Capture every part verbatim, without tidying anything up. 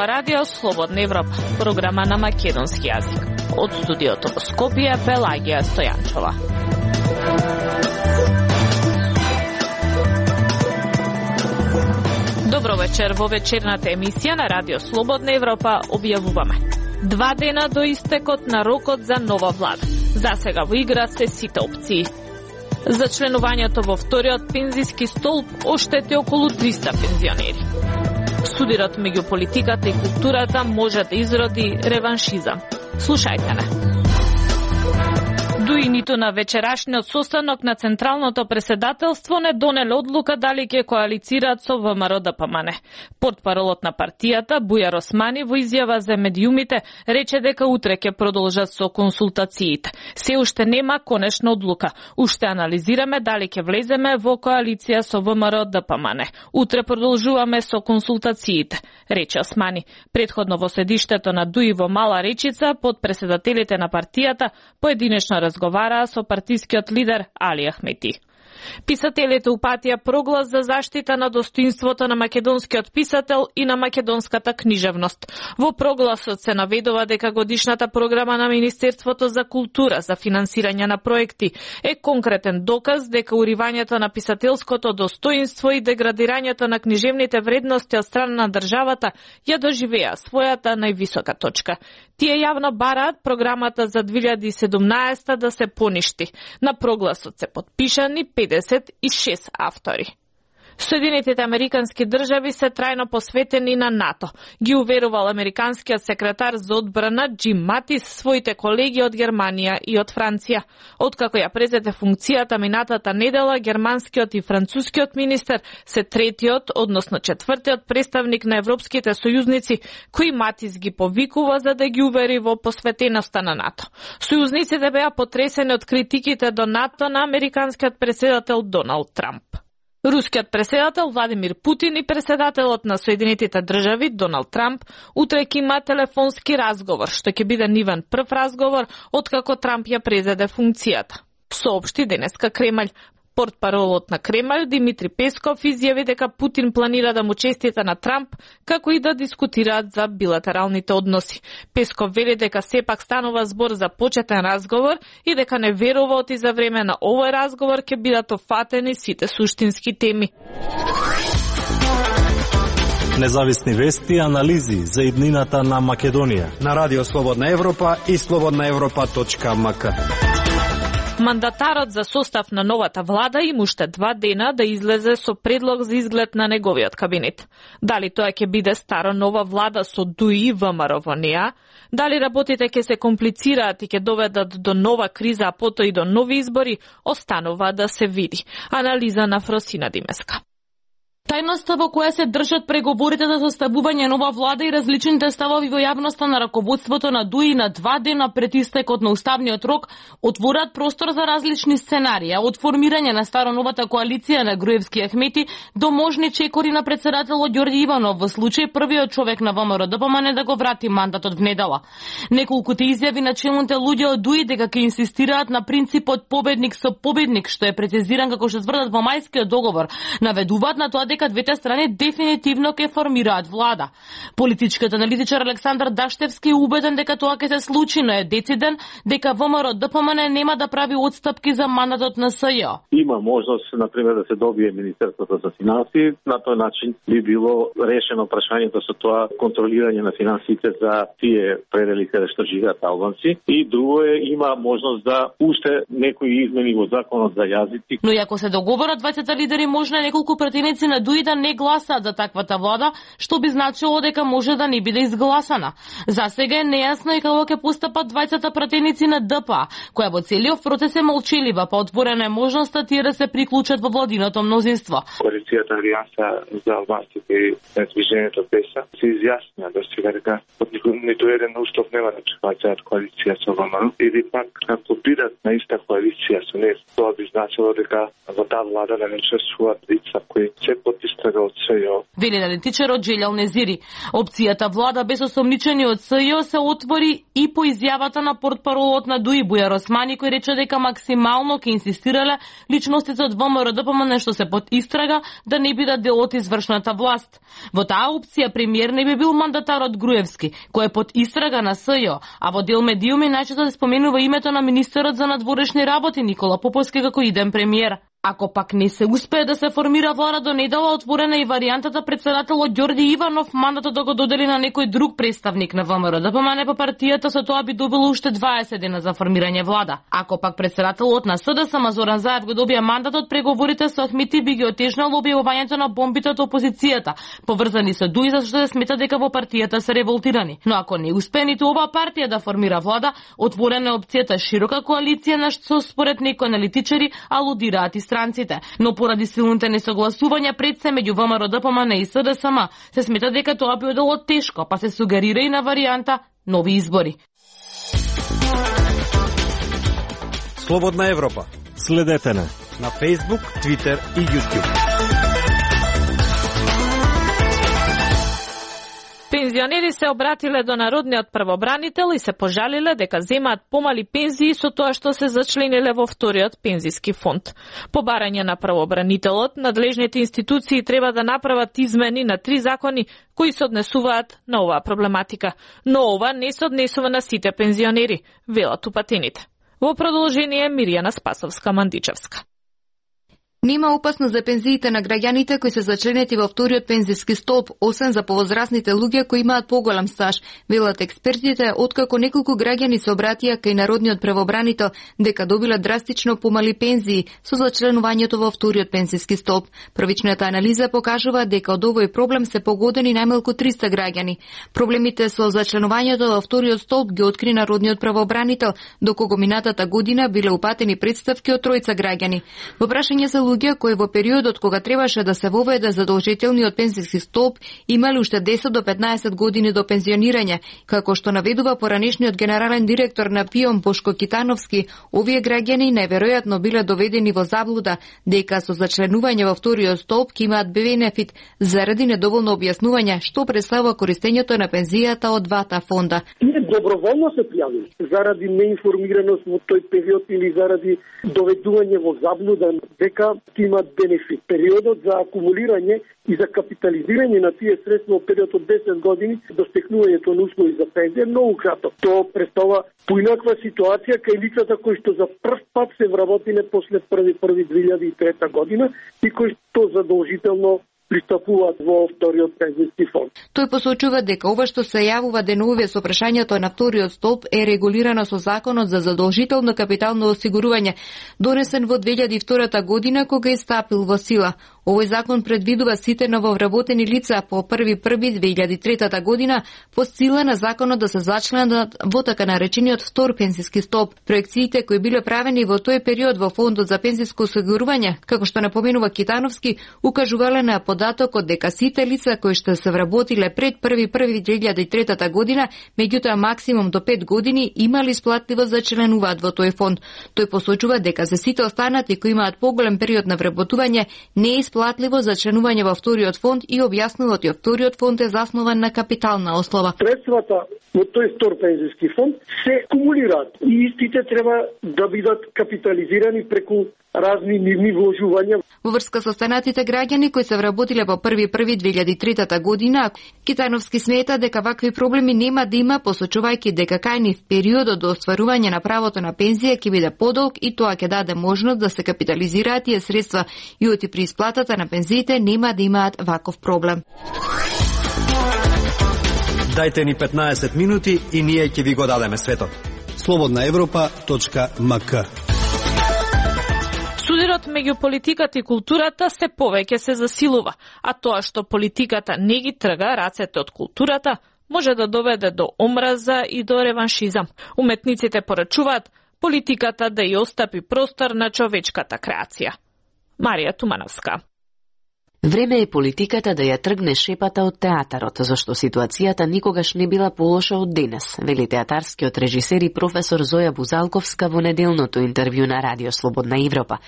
зборува Радио Слободна Европа, програма на македонски јазик. Од студиото во Скопје, Пелагија Стојанчова. Добро вечер, во вечерната емисија на Радио Слободна Европа објавуваме. Два дена до истекот на рокот за нова влада. За сега во игра се сите опции. За членувањето во вториот пензиски столб оштети околу триста пензионери. Судирот меѓу политиката и културата може да изроди реваншизам. Слушајте не. Дуи ниту на вечерашниот состанок на Централното преседателство не донеле одлука дали ќе коалицираат со ВМРО Д П М Н. Портпаролот на партијата Бујар Османи во изјава за медиумите рече дека утре ќе продолжат со консултациите. Се уште нема конечна одлука. Уште анализираме дали ќе влеземе во коалиција со ВМРО Д П М Н. Утре продолжуваме со консултациите, рече Османи. Претходно во седиштето на Дуи во Мала Речица, под преседателите на партијата поединечно разговараа со партискиот лидер Али Ахмети. Писателите упатија проглас за заштита на достоинството на македонскиот писател и на македонската книжевност. Во прогласот се наведува дека годишната програма на Министерството за култура за финансирање на проекти е конкретен доказ дека уривањето на писателското достоинство и деградирањето на книжевните вредности од страна на државата ја доживеа својата највисока точка. Тие јавно бараат програмата за две илјади и седумнаесета да се поништи. На прогласот се потпишани педесет и шест автори. Соединетите американски држави се трајно посветени на НАТО, ги уверувал американскиот секретар за одбрана Џим Матис своите колеги од Германија и од Франција. Откако ја презете функцијата минатата недела, германскиот и францускиот министер се третиот, односно четвртиот представник на европските сојузници кои Матис ги повикува за да ги увери во посветеноста на НАТО. Сојузниците беа потресени од критиките до НАТО на американскиот претседател Доналд Трамп. Рускиот претседател Владимир Путин и претседателот на Соединетите држави Доналд Трамп утре ќе има телефонски разговор, што ќе биде нивен прв разговор откако Трамп ја презеде функцијата. Соопшти денеска Кремљ. Портпаролот на Кремљ Димитри Песков изјави дека Путин планира да му честита на Трамп, како и да дискутираат за билатералните односи. Песков вели дека сепак станува збор за почетен разговор и дека не верува оти за време на овој разговор ќе бидат офатени сите суштински теми. Независни вести и анализи за иднината на Македонија на Радио Слободна Европа и слободна европа точка м к. Мандатарот за состав на новата влада има уште два дена да излезе со предлог за изглед на неговиот кабинет. Дали тоа ќе биде стара нова влада со Дуи и ВМРО во неа, дали работите ќе се комплицираат и ќе доведат до нова криза, а потоа и до нови избори, останува да се види. Анализа на Фросина Димеска. Тајноста во која се држат преговорите за составување нова влада и различните ставови во јавноста на раководството на Дуи на два дена пред истекот на уставниот рок отвораат простор за различни сценарија, од формирање на старо-новата коалиција на Груевски и Ахмети до можни чекори на председателот Ѓорѓе Иванов во случај првиот човек на ВМРО Д П М Н да го врати мандатот внедела. Неколкуте изјави на челните луѓе од Дуи дека ќе инсистираат на принципот победник со победник, што е прецизиран како што тврдат во мајскиот договор, наведуваат на тоа дека двете страни дефинитивно ќе формираат влада. Политичкиот аналитичар Александар Даштевски е убеден дека тоа ќе се случи, но е дециден дека ВМРО Д П М Н нема да прави отстапки за мандатот на С Ј. Има можност, например, да се добие Министерството за финансии. На тој начин би било решено прашањето со тоа контролирање на финансите за тие предели каде што живеат албанци. И друго е, има можност да уште некои измени во законот за јазици. Но и ако се договорат двајцата лидери, можно неколку пратеници на Дуи да не гласаат за таквата влада, што би значило дека може да не биде изгласана. За сега е нејасно и како ќе постапат двајцата пратеници на Д П А, која во целиот процес е молчелива, па отворена е можноста тие да се приклучат во владиното мнозинство. Коалицијата Алијанса за албанците и движењето ПЕСА се изјаснија до сега дека од ниту еден устав нема да прифаќаат коалиција со ВМРО, или пак ако бидат на иста коалиција со НЕС, тоа би значило дека во таа влада да не учествуваат лица кои се под истрага од СЈО. Вели аналитичарот Джелјал Незири. Опцијата влада без осомничени од СЈО се отвори и по изјавата на портпаролот на ДУИ Бујар Османи, кој рече дека максимално ќе инсистирале личностите од ВМРО-ДПМН што се под истрага да не бидат дел од извршната власт. Во таа опција премиер не би бил мандатарот Груевски, кој е под истрага на СЈО, а во дел медиуми најчесто се споменува името на министерот за надворешни работи Никола Поповски како иден премиер. Ако пак не се успее да се формира влада до недела, отворена и варијантата председателот Ѓорѓи Иванов мандатот да го додели на некој друг представник на ВМРО-ДПМН по партијата, со тоа би добило уште дваесет дена за формирање влада. Ако пак председателот на СДСМ Зоран Заев го добија мандатот, преговорите со Ахмети би ги отежнало објавувањето на бомбите од опозицијата, поврзани со ДУИ, зашто се смета дека во партијата се револтирани. Но ако не успее ниту ова партија да формира влада, отворена е опцијата широка коалиција, на што според некои аналитичари алудираат и странците, но поради силните несогласувања пред се меѓу ВМРО-ДПМН и СДСМ, се смета дека тоа би било тешко, па се сугерира и на варијанта нови избори. Слободна Европа. Следете не на Facebook, Twitter и YouTube. Пензионери се обратиле до народниот првобранител и се пожалиле дека земаат помали пензии со тоа што се зачлениле во вториот пензиски фонд. По барање на првобранителот, надлежните институции треба да направат измени на три закони кои се однесуваат на оваа проблематика. Но ова не се однесува на сите пензионери, велат упатените. Во продолжение Мирјана Спасовска-Мандичевска. Нема опасност за пензиите на граѓаните кои се зачленети во вториот пензиски столб, освен за повозрасните луѓе кои имаат поголем стаж. Велат експертите, откако неколку граѓани се обратија кај народниот превобранител дека добиле драстично помали пензии со зачленувањето во вториот пензиски столб. Првичната анализа покажува дека од овој проблем се погодени најмалку триста граѓани. Проблемите со зачленувањето во вториот столб ги откри народниот превобранител, докога минатата година биле упатени представки од тројца граѓани. Во прашање за луѓе кои во периодот кога требаше да се воведе задолжителниот пензиски столб имале уште десет до петнаесет години до пензионирање, како што наведува поранешниот генерален директор на ПИОМ Бошко Китановски, овие граѓани најверојатно биле доведени во заблуда дека со зачленување во вториот столб ќе имаат бенефит заради недоволно објаснување што представува користењето на пензијата од двата фонда. Ние доброволно се пријавиле заради неинформираност во тој период или заради доведување во заблуда дека ќе имаат бенефит. Периодот за акумулирање и за капитализирање на тие средства во период од десет години до стекнувањето на услови за пензија многу краток. Тоа представува поинаква ситуација кај лицата кои што за прв пат се вработиле после први први две илјади и трета година и кои што задолжително пристапуваат во вториот пензиски фонд. Тој посочува дека ова што се јавува деновиве со прашањето на вториот столб е регулирано со Законот за задолжително капитално осигурување, донесен во две илјади и втора година кога е стапил во сила. Овој закон предвидува сите нововработени лица по први први две илјади и трета година по сила на законот да се зачленат во така наречениот втор пензиски столб. Проекциите кои биле правени во тој период во фондот за пензиско осигурување, како што напоменува Китановски, укажувале на податокот дека сите лица кои што се вработиле пред први први две илјади и трета година, меѓутоа максимум до пет години имали исплатливост за членуваат во тој фонд. Тој посочува дека за сите останати кои имаат поголем период на вработување не е исплатливо за членување во вториот фонд и објаснува дека вториот фонд е заснован на капитална основа. Средствата во тој втор пензиски фонд се кумулираат и истите треба да бидат капитализирани преку разни нивни вложувања. Во врска со останатите граѓани кои се вработиле по први први две илјади и трета година, Китановски смета дека вакви проблеми нема да има, посочувајќи дека кај нив периодот до остварување на правото на пензија ќе биде подолг и тоа ќе даде можност да се капитализираат тие средства и оти при исплатата на пензиите нема да имаат ваков проблем. Дајте ни петнаесет минути и ние ќе ви го дадеме светот. слободна европа точка ем ка. Судирот меѓу политиката и културата се повеќе се засилува, а тоа што политиката не ги трга рацете од културата, може да доведе до омраза и до реваншизам. Уметниците порачуваат политиката да ја остапи простор на човечката креација. Марија Тумановска. Време е политиката да ја тргне шепата од театарот, зашто ситуацијата никогаш не била полоша од денес, вели театарскиот режисер и професор Зоја Бузалковска во неделното интервју на Радио Слободна Европа.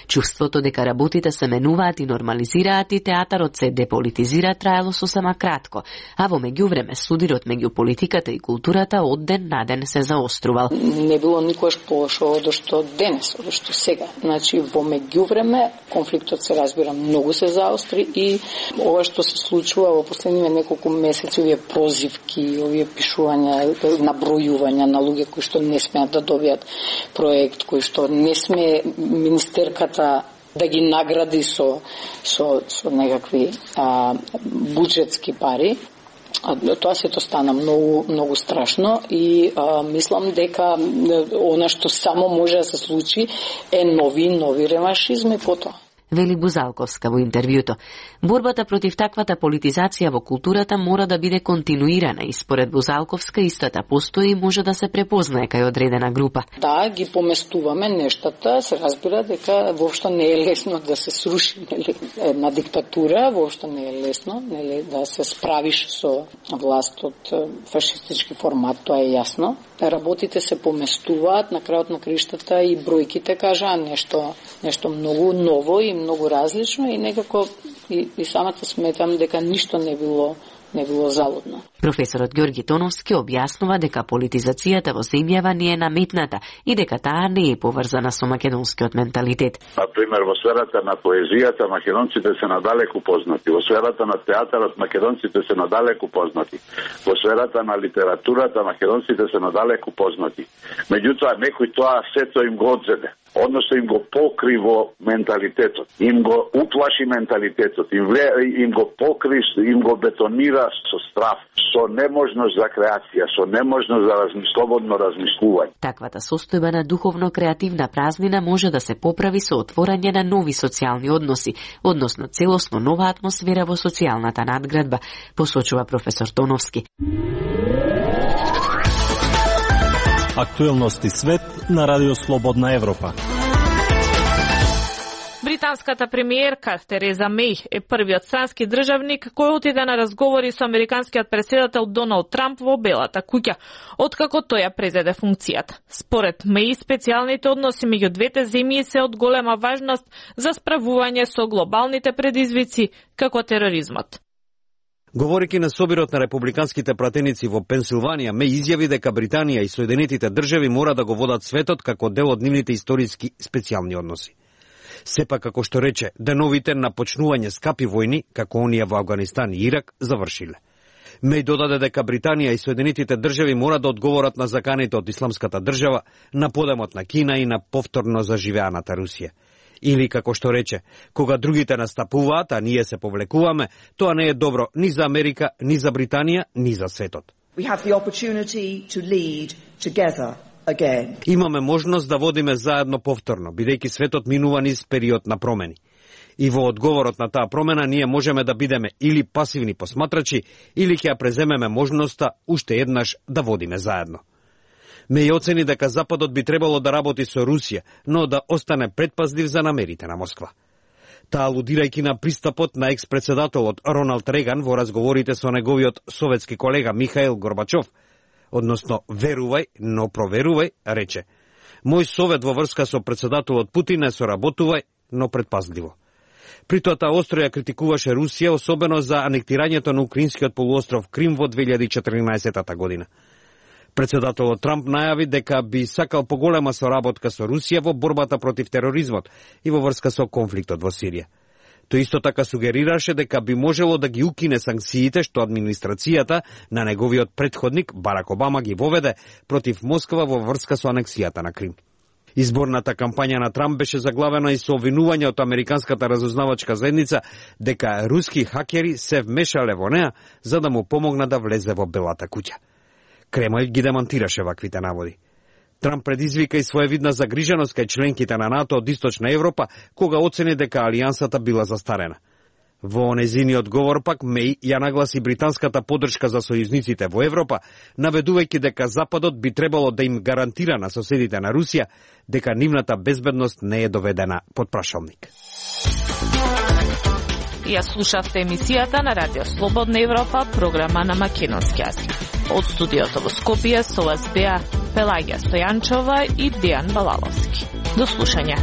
Чувството дека работите се менуваат и нормализираат и театарот се деполитизира траело сосема кратко, а во меѓувреме судирот меѓу политиката и културата од ден на ден се заострувал. Не било никогаш полошо од што денес, од што сега. Значи во меѓувреме конфликтот се разбира многу се заостри и ова што се случува во последниве неколку месеци, овие прозивки, овие пишувања, набројувања на луѓе кои што не смеат да добијат проект, кои што не сме министерката да ги награди со со со некакви а, буџетски пари. Тоа сето стана многу многу страшно и а, мислам дека она што само може да се случи е нови нови реваншизми потоа. Вели Бузалковска во интервјуто. Борбата против таквата политизација во културата мора да биде континуирана и според Бузалковска истата постои и може да се препознае кај одредена група. Да, ги поместуваме нештата, се разбира дека воопшто не е лесно да се сруши нели, една диктатура, воопшто не е лесно нели, да се справиш со власт од фашистички формат, тоа е јасно. Работите се поместуваат, на крајот на криштата и бројките кажаа нешто, нешто многу ново и многу различно и некако и, и самата сметам дека ништо не било не било залудно. Професорот Ѓорги Тоновски објаснува дека политизацијата во земјава не е наметната и дека таа не е поврзана со македонскиот менталитет. Например, во сферата на поезијата македонците се надалеку познати, во сферата на театарот македонците се надалеку познати, во сферата на литературата македонците се надалеку познати. Меѓутоа, некој тоа сето им го одзеде, односно им го покри во менталитетот, им го уплаши менталитетот, им, вле, им го покри, им го бетонира со страф, со неможност за креација, со неможност за разми, слободно размислување. Таквата состојба на духовно-креативна празнина може да се поправи со отворање на нови социјални односи, односно целосно нова атмосфера во социјалната надградба, посочува професор Тоновски. Актуелности свет на Радио Слободна Европа. Британската премиерка Тереза Меј е првиот странски државник кој отиде на разговори со американскиот претседател Доналд Трамп во Белата куќа, откако тој ја презеде функцијата. Според Меј, специјалните односи меѓу двете земји се од голема важност за справување со глобалните предизвици како тероризмот. Говорејќи на собирот на републиканските пратеници во Пенсилванија, Меј изјави дека Британија и Соединетите држави мора да го водат светот како дел од нивните историски специјални односи. Сепак, како што рече, деновите на почнување скапи војни, како оние во Афганистан и Ирак, завршиле. Меј додаде дека Британија и Соединетите држави мора да одговорат на заканите од Исламската држава, на подемот на Кина и на повторно заживеаната Русија. Или, како што рече, кога другите настапуваат, а ние се повлекуваме, тоа не е добро ни за Америка, ни за Британија, ни за светот. We have the opportunity to lead together. Again. Имаме можност да водиме заедно повторно, бидејќи светот минува низ период на промени. И во одговорот на таа промена ние можеме да бидеме или пасивни посматрачи, или ќе ја преземеме можноста уште еднаш да водиме заедно. Меј оцени дека Западот би требало да работи со Русија, но да остане предпазлив за намерите на Москва. Таа алудирајќи на пристапот на екс-председателот Роналд Реган во разговорите со неговиот советски колега Михаил Горбачов, односно верувај, но проверувај, рече. Мој совет во врска со председателот Путин е соработувај, но предпазливо. При тоа таа остро ја критикуваше Русија, особено за анектирањето на украинскиот полуостров Крим во две илјади и четрнаесетта година. Председателот Трамп најави дека би сакал поголема соработка со Русија во борбата против тероризмот и во врска со конфликтот во Сирија. Тој исто така сугерираше дека би можело да ги укине санкциите што администрацијата на неговиот претходник Барак Обама ги воведе против Москва во врска со анексијата на Крим. Изборната кампања на Трамп беше заглавена и со обвинување од американската разузнавачка заедница дека руски хакери се вмешале во неа за да му помогна да влезе во Белата куќа. Кремљ ги демонтираше ваквите наводи. Трамп предизвика и своевидна загриженост кај членките на НАТО од Источна Европа, кога оцени дека алијансата била застарена. Во незиниот говор пак Меј ја нагласи британската поддршка за сојузниците во Европа, наведувајќи дека Западот би требало да им гарантира на соседите на Русија дека нивната безбедност не е доведена под прашалник. Ја слушавте емисијата на Радио Слободна Европа, програма на македонски јазик. Од студиото во Скопје со вас беа Пелагија Стојанчова и Дејан Балаловски. До слушање.